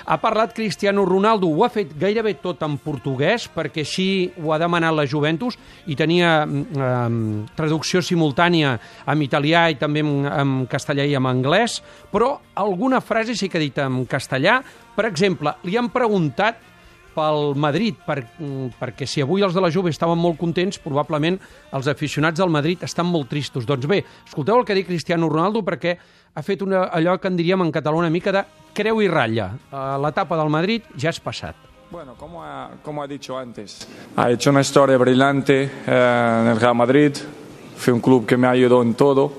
Ha parlat Cristiano Ronaldo, ho ha fet gairebé tot en portuguès, perquè així ho ha demanat la Juventus, i tenia traducció simultània en italià i també en castellà i en anglès, però alguna frase sí que ha dit en castellà. Per exemple, li han preguntat pel Madrid, perquè si avui els de la Juve estaven molt contents, probablement els aficionats del Madrid estan molt tristos. Doncs bé, escolteu el que ha dit Cristiano Ronaldo, perquè ha fet allò que en diríem en català una mica de creu i ratlla. L'etapa del Madrid ja és passat. Bueno, como ha dicho antes, ha hecho una historia brillante en el Real Madrid, fue un club que me ayudó en todo,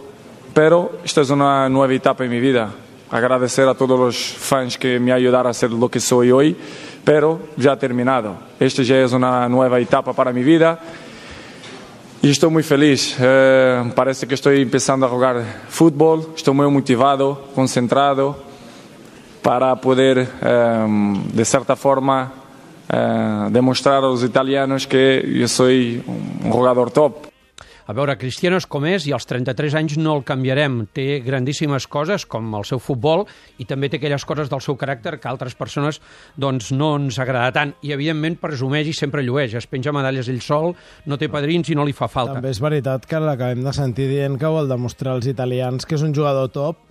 pero esta es una nueva etapa en mi vida. Agradecer a todos los fans que me ayudaron a ser lo que soy hoy, pero ya ha terminado. Esta ya es una nueva etapa para mi vida y estoy muy feliz. Parece que estoy empezando a jugar fútbol, estoy muy motivado, concentrado para poder, de cierta forma, demostrar a los italianos que yo soy un jugador top. A veure, Cristiano és com és i als 33 anys no el canviarem. Té grandíssimes coses, com el seu futbol, i també té aquelles coses del seu caràcter que altres persones doncs, no ens agrada tant. I, evidentment, presumeix i sempre llueix. Es penja medalles ell sol, no té padrins i no li fa falta. També és veritat que l'acabem de sentir dient que vol demostrar als italians que és un jugador top,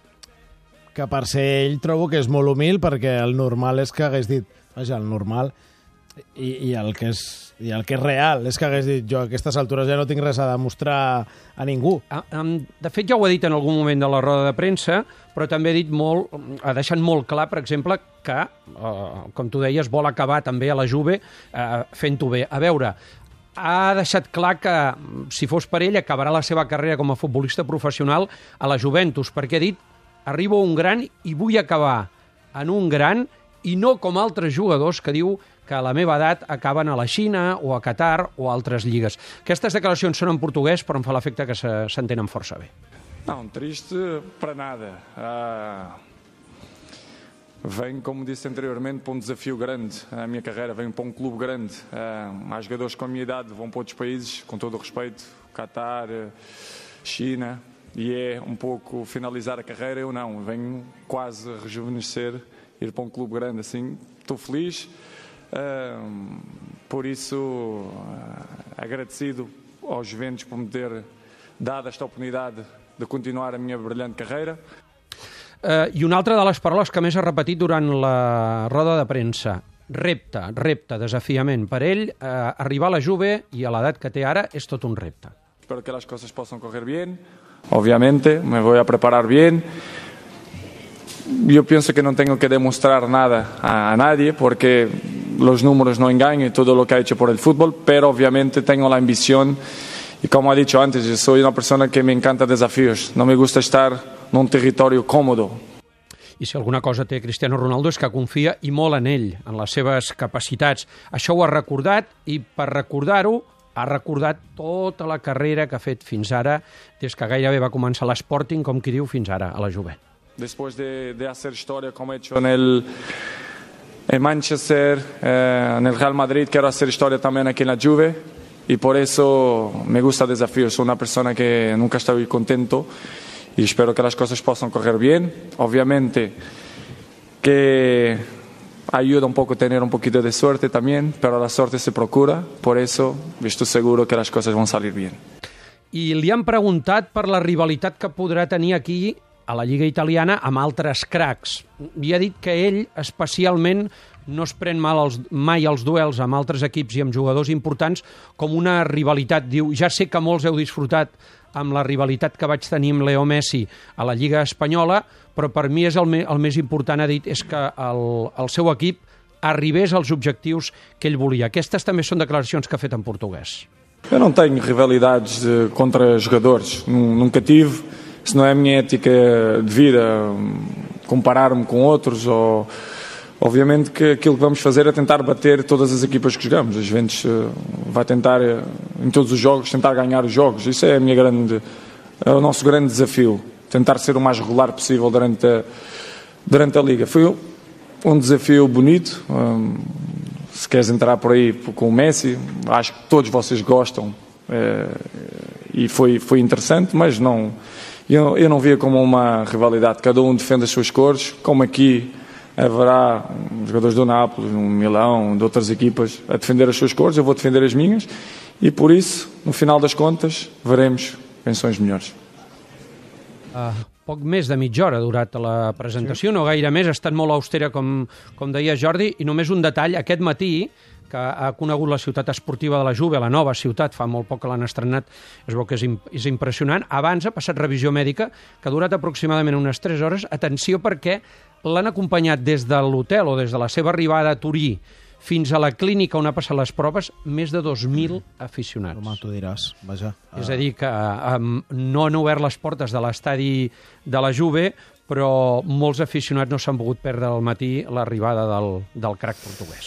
que per ser ell trobo que és molt humil, perquè el normal és que hagués dit, vaja, el normal i el que és real és que hagués dit, jo a aquestes altures ja no tinc res a demostrar a ningú. De fet, ja ho ha dit en algun moment de la roda de premsa, però també ha deixat molt clar, per exemple, que, com tu deies, vol acabar també a la Juve fent-ho bé. A veure, ha deixat clar que, si fos per ell, acabarà la seva carrera com a futbolista professional a la Juventus, perquè ha dit, arribo a un gran i vull acabar en un gran, i no com altres jugadors que diu que a la meva edat acaben a la Xina o a Qatar o a altres lligues. Aquestes declaracions són en portuguès, però em fa l'efecte que s'entenen força bé. Não, triste para nada. Venho, como disse anteriormente, para um desafio grande na minha carreira. Venho para um clube grande. Há jogadores com a minha idade vão para outros países, com todo o respeito, Qatar, China, e é um pouco finalizar a carreira. Eu não, venho quase a rejuvenescer, ir para um clube grande assim. Estou feliz. Por isso, agradecido aos Juventus por me ter dado esta oportunidade de continuar a minha brilhante carreira. I una altra de les paraules que més ha repetit durant la roda de premsa, repte, desafiament. Per ell, arribar a la Juve i a l'edat que té ara és tot un repte. Espero que las cosas puedan correr bien. Obviamente, me voy a preparar bien. Yo pienso que no tengo que demostrar nada a nadie porque los números no engañan y todo lo que ha hecho por el fútbol, pero obviamente tengo la ambición y como he dicho antes, yo soy una persona que me encanta desafíos, no me gusta estar en un territorio cómodo. I si alguna cosa té Cristiano Ronaldo és que confia i molt en ell, en les seves capacitats. Això ho ha recordat i per recordar-ho ha recordat tota la carrera que ha fet fins ara, des que gairebé va començar l'Sporting, com qui diu, fins ara, a la Juve. Después de hacer historia como he hecho en Manchester, en el Real Madrid, quiero hacer historia también aquí en la Juve y por eso me gusta el desafío. Soy una persona que nunca estoy contento y espero que las cosas puedan correr bien. Obviamente que ayuda un poco tener un poquito de suerte también, pero la suerte se procura, por eso estoy seguro que las cosas van a salir bien. I li han preguntat per la rivalitat que podrà tenir aquí a la Lliga Italiana amb altres cracs. I ha dit que ell especialment no es pren mai els duels amb altres equips i amb jugadors importants com una rivalitat. Diu, ja sé que molts heu disfrutat amb la rivalitat que vaig tenir amb Leo Messi a la Lliga Espanyola, però per mi és el més important, ha dit, és que el seu equip arribés als objectius que ell volia. Aquestes també són declaracions que ha fet en portuguès. Eu não tenho rivalidades contra jogadores, nunca tive. Se não é a minha ética de vida comparar-me com outros, obviamente que aquilo que vamos fazer é tentar bater todas as equipas que jogamos. A Juventus vai tentar, em todos os jogos, tentar ganhar os jogos. Isso é é o nosso grande desafio, tentar ser o mais regular possível durante a Liga. Foi um desafio bonito. Se queres entrar por aí com o Messi, acho que todos vocês gostam e foi interessante, mas não... Eu não via como uma rivalidade, cada um defende as suas cores, como aqui haverá jogadores do Nápoles, um Milão, de outras equipas a defender as suas cores, eu vou defender as minhas e por isso, no final das contas, veremos quem são os melhores. Poc més de mitja hora ha durat la presentació, no gaire més, ha estat molt austera, com deia Jordi, i només un detall, aquest matí, que ha conegut la ciutat esportiva de la Juve, la nova ciutat, fa molt poc que l'han estrenat, es veu que és impressionant. Abans ha passat revisió mèdica, que ha durat aproximadament unes 3 hores. Atenció, perquè l'han acompanyat des de l'hotel o des de la seva arribada a Turí fins a la clínica on ha passat les proves, més de 2.000 aficionats. Home, tu diràs, vaja. És a dir, que no han obert les portes de l'estadi de la Juve, però molts aficionats no s'han pogut perdre al matí l'arribada del crac portuguès.